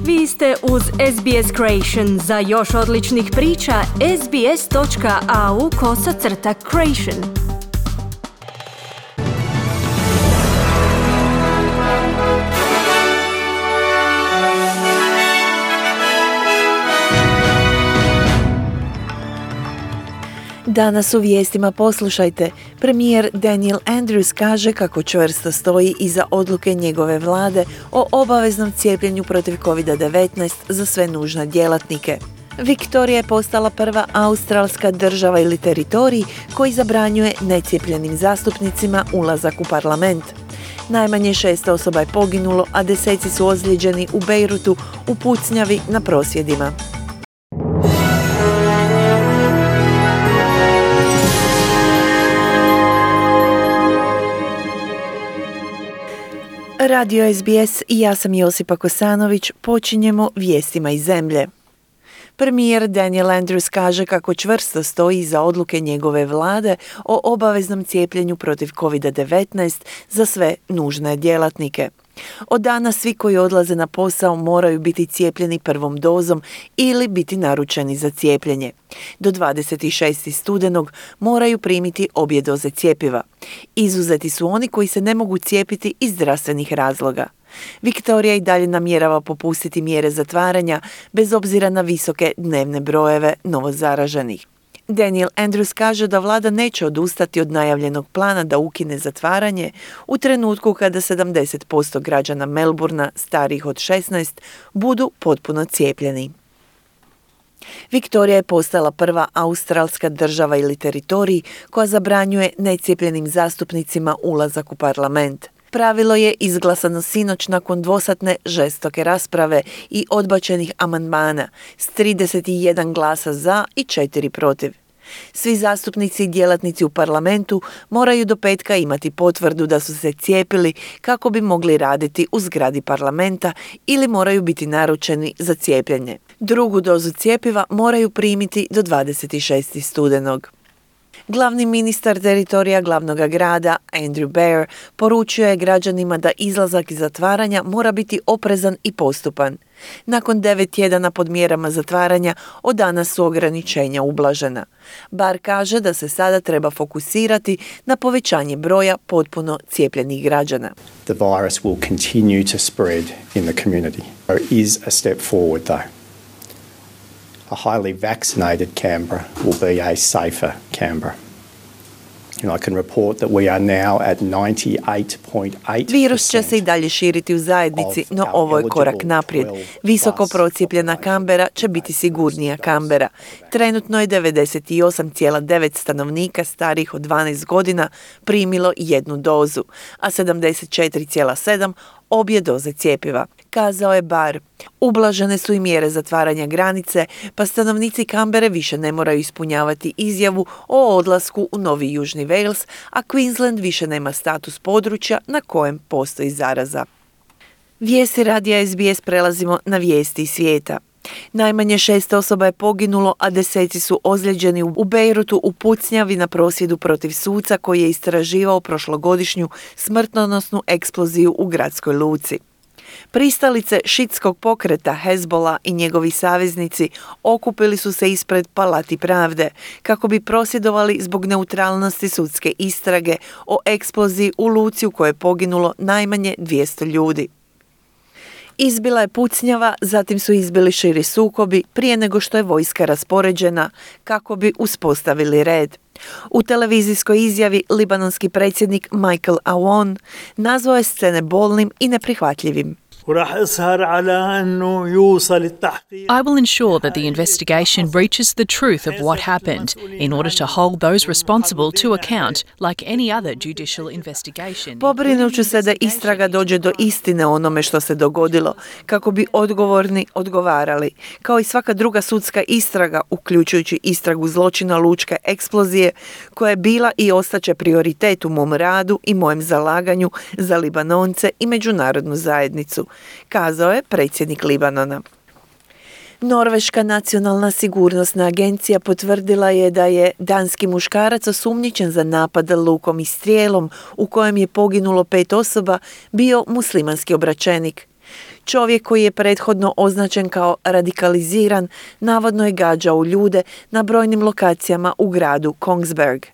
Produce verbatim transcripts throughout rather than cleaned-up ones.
Vi ste uz S B S Creation. Za još odličnih priča, sbs.au kosacrta creation. Danas u vijestima poslušajte. Premijer Daniel Andrews kaže kako čvrsto stoji iza odluke njegove vlade o obaveznom cijepljenju protiv covid devetnaest za sve nužne djelatnike. Viktorija je postala prva australska država ili teritorij koji zabranjuje necijepljenim zastupnicima ulazak u parlament. Najmanje šest osoba je poginulo, a deseci su ozlijeđeni u Bejrutu u pucnjavi na prosvjedima. Radio S B S i ja sam Josipa Kosanović. Počinjemo vijestima iz zemlje. Premijer Daniel Andrews kaže kako čvrsto stoji iza odluke njegove vlade o obaveznom cijepljenju protiv covid devetnaest za sve nužne djelatnike. Od danas svi koji odlaze na posao moraju biti cijepljeni prvom dozom ili biti naručeni za cijepljenje. Do dvadeset šestog studenog moraju primiti obje doze cjepiva. Izuzeti su oni koji se ne mogu cijepiti iz zdravstvenih razloga. Viktorija i dalje namjerava popustiti mjere zatvaranja bez obzira na visoke dnevne brojeve novozaraženih. Daniel Andrews kaže da vlada neće odustati od najavljenog plana da ukine zatvaranje u trenutku kada sedamdeset posto građana Melbourna starijih od šesnaest budu potpuno cijepljeni. Viktorija je postala prva australska država ili teritorij koja zabranjuje necijepljenim zastupnicima ulazak u parlament. Pravilo je izglasano sinoć nakon dvosatne žestoke rasprave i odbačenih amandmana s trideset jedan glasa za i četiri protiv. Svi zastupnici i djelatnici u parlamentu moraju do petka imati potvrdu da su se cijepili kako bi mogli raditi u zgradi parlamenta ili moraju biti naručeni za cijepljenje. Drugu dozu cjepiva moraju primiti do dvadeset šestog studenog. Glavni ministar teritorija glavnog grada, Andrew Bayer, poručio je građanima da izlazak iz zatvaranja mora biti oprezan i postupan. Nakon devet tjedana pod mjerama zatvaranja, od danas su ograničenja ublažena. Bar kaže da se sada treba fokusirati na povećanje broja potpuno cijepljenih građana. The virus will continue to spread in the community. There is a step forward though. A highly vaccinated Canberra will be a safer Canberra. And I can report that we are now at ninety-eight point eight percent. Virus će se i dalje širiti u zajednici, no ovo je korak naprijed. Visoko procijepljena Canberra će biti sigurnija Canberra. Trenutno je devedeset osam zarez devet stanovnika starijih od dvanaest godina primilo jednu dozu, a sedamdeset četiri zarez sedam obje doze cjepiva, kazao je Bar. Ublažene su i mjere zatvaranja granice, pa stanovnici Canberre više ne moraju ispunjavati izjavu o odlasku u Novi Južni Wales, a Queensland više nema status područja na kojem postoji zaraza. Vijesti radija S B S prelazimo na vijesti iz svijeta. Najmanje šest osoba je poginulo, a deseci su ozlijeđeni u Bejrutu u pucnjavi na prosvjedu protiv suca koji je istraživao prošlogodišnju smrtonosnu eksploziju u gradskoj luci. Pristalice šitskog pokreta Hezbollah i njegovi saveznici okupili su se ispred Palati pravde kako bi prosvjedovali zbog neutralnosti sudske istrage o eksploziji u luci u kojoj je poginulo najmanje dvjesto ljudi. Izbila je pucnjava, zatim su izbili širi sukobi prije nego što je vojska raspoređena kako bi uspostavili red. U televizijskoj izjavi libanonski predsjednik Michael Aoun nazvao je scene bolnim i neprihvatljivim. I will ensure that the investigation reaches the truth of what happened in order to hold those responsible to account like any other judicial investigation. Pobrinut ću se da istraga dođe do istine o onome što se dogodilo, kako bi odgovorni odgovarali. Kao i svaka druga sudska istraga, uključujući istragu zločina lučke eksplozije, koja je bila i ostaće prioritet u mom radu i mojem zalaganju za Libanonce i međunarodnu zajednicu, kazao je predsjednik Libanona. Norveška nacionalna sigurnosna agencija potvrdila je da je danski muškarac osumnjičen za napad lukom i strijelom u kojem je poginulo pet osoba bio muslimanski obraćenik. Čovjek koji je prethodno označen kao radikaliziran, navodno je gađao ljude na brojnim lokacijama u gradu Kongsberg.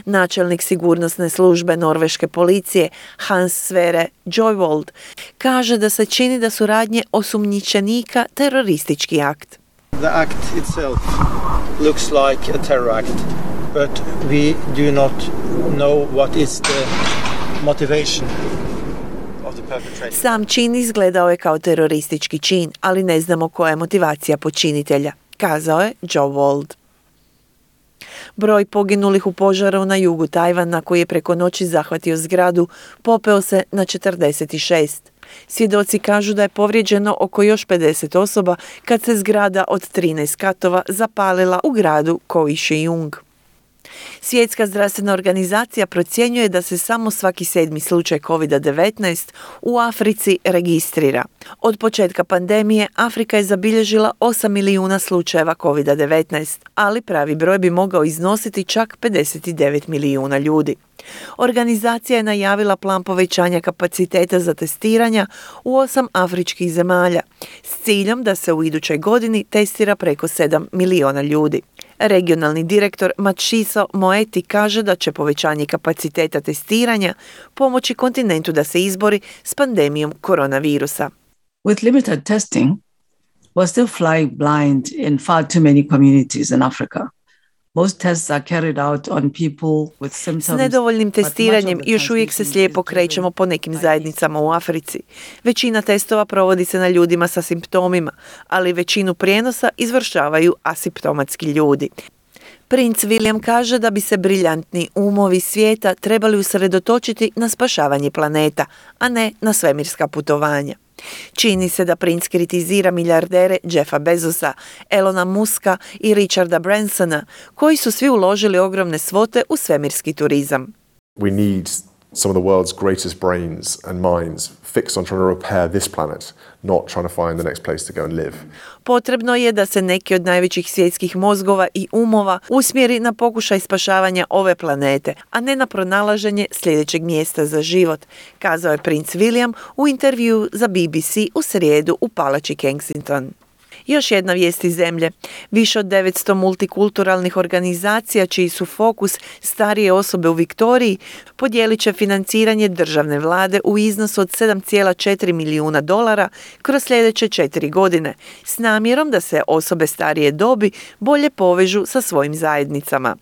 Načelnik sigurnosne službe norveške policije Hans Sverre Joyvold kaže da se čini da su radnje osumnjičenika teroristički akt. The act itself looks like a terror act, but we do not know what is the motivation of the perpetrator. Sam čin izgledao je kao teroristički čin, ali ne znamo koja je motivacija počinitelja, kazao je Joyvold. Broj poginulih u požaru na jugu Tajvana, koji je preko noći zahvatio zgradu, popeo se na četrdeset šest. Svjedoci kažu da je povrijeđeno oko još pedeset osoba kad se zgrada od trinaest katova zapalila u gradu Kaohsiung. Svjetska zdravstvena organizacija procjenjuje da se samo svaki sedmi slučaj kovid devetnaest u Africi registrira. Od početka pandemije Afrika je zabilježila osam milijuna slučajeva kovid devetnaest, ali pravi broj bi mogao iznositi čak pedeset devet milijuna ljudi. Organizacija je najavila plan povećanja kapaciteta za testiranja u osam afričkih zemalja s ciljem da se u idućoj godini testira preko sedam milijuna ljudi. Regionalni direktor Matshidiso Moeti kaže da će povećanje kapaciteta testiranja pomoći kontinentu da se izbori s pandemijom koronavirusa. With limited testing, we're still flying blind in far too many communities in Africa. Most tests are carried out on people with symptoms. S nedovoljnim testiranjem još uvijek se slijepo krećemo po nekim zajednicama u Africi. Većina testova provodi se na ljudima sa simptomima, ali većinu prijenosa izvršavaju asimptomatski ljudi. Princ William kaže da bi se briljantni umovi svijeta trebali usredotočiti na spašavanje planeta, a ne na svemirska putovanja. Čini se da princ kritizira milijardere Jeffa Bezosa, Elona Muska i Richarda Bransona, koji su svi uložili ogromne svote u svemirski turizam. We need some of the world's greatest brains and minds fixed on trying to repair this planet, not trying to find the next place to go and live. Potrebno je da se neki od najvećih svjetskih mozgova i umova usmjeri na pokušaj spašavanja ove planete, a ne na pronalaženje sljedećeg mjesta za život, kazao je princ William u intervjuu za B B C u srijedu u palači Kensington. Još jedna vijest iz zemlje. Više od devetsto multikulturalnih organizacija čiji su fokus starije osobe u Viktoriji podijelit će financiranje državne vlade u iznosu od sedam zarez četiri milijuna dolara kroz sljedeće četiri godine s namjerom da se osobe starije dobi bolje povežu sa svojim zajednicama.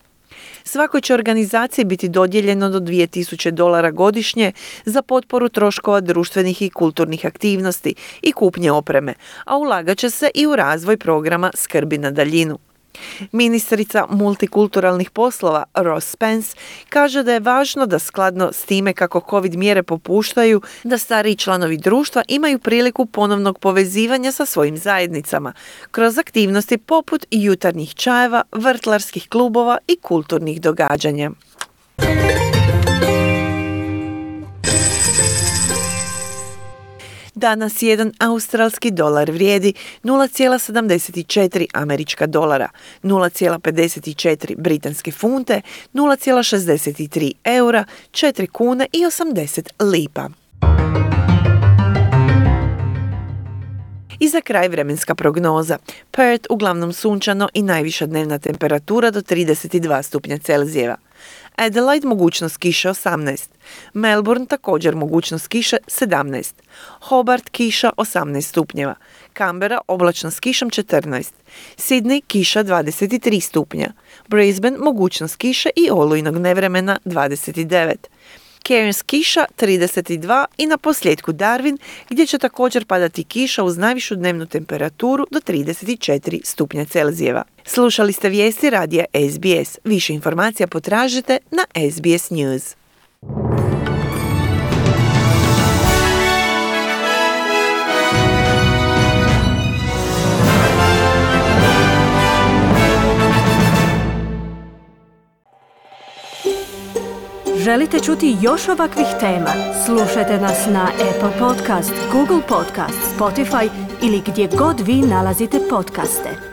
Svakoj će organizaciji biti dodijeljeno do dvije tisuće dolara godišnje za potporu troškova društvenih i kulturnih aktivnosti i kupnje opreme, a ulagat će se i u razvoj programa skrbi na daljinu. Ministrica multikulturalnih poslova Ross Spence kaže da je važno da skladno s time kako COVID mjere popuštaju, da stariji članovi društva imaju priliku ponovnog povezivanja sa svojim zajednicama kroz aktivnosti poput jutarnjih čajeva, vrtlarskih klubova i kulturnih događanja. Danas jedan australski dolar vrijedi nula zarez sedamdeset četiri američka dolara, nula zarez pedeset četiri britanske funte, nula zarez šezdeset tri eura, četiri kune i osamdeset lipa. I za kraj vremenska prognoza. Perth uglavnom sunčano i najviša dnevna temperatura do trideset dva stupnja Celzijeva. Adelaide mogućnost kiše osamnaest. Melbourne također mogućnost kiše sedamnaest. Hobart kiša osamnaest stupnjeva. Canberra oblačno s kišom četrnaest. Sydney kiša dvadeset tri stupnja. Brisbane mogućnost kiše i olujnog nevremena dvadeset devet. Cairns kiša trideset dva i na posljedku Darwin gdje će također padati kiša uz najvišu dnevnu temperaturu do trideset četiri stupnja Celzijeva. Slušali ste vijesti radija S B S. Više informacija potražite na S B S News. Želite čuti još ovakvih tema? Slušajte nas na Apple Podcast, Google Podcast, Spotify ili gdje god vi nalazite podcaste.